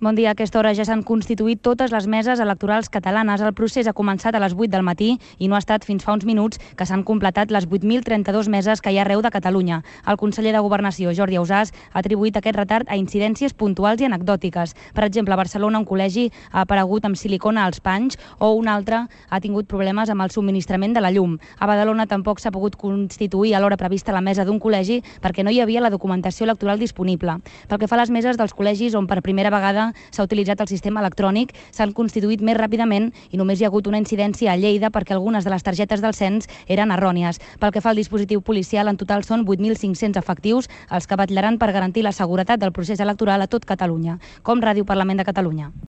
Bon dia. A aquesta hora ja s'han constituït totes les meses electorals catalanes. El procés ha començat a les 8 del matí i no ha estat fins fa uns minuts que s'han completat les 8.032 meses que hi ha arreu de Catalunya. El conseller de Governació, Jordi Ausàs, ha atribuït aquest retard a incidències puntuals i anecdòtiques. Per exemple, a Barcelona un col·legi ha aparegut amb silicona als panys o un altre ha tingut problemes amb el subministrament de la llum. A Badalona tampoc s'ha pogut constituir a l'hora prevista la mesa d'un col·legi perquè no hi havia la documentació electoral disponible. Pel que fa a les meses dels col·legis on per primera vegada s'ha utilitzat el sistema electrònic, s'han constituït més ràpidament i només hi ha hagut una incidència a Lleida perquè algunes de les targetes del cens eren errònies. Pel que fa al dispositiu policial, en total són 8.500 efectius els que vetllaran per garantir la seguretat del procés electoral a tot Catalunya. Com Ràdio Parlament de Catalunya.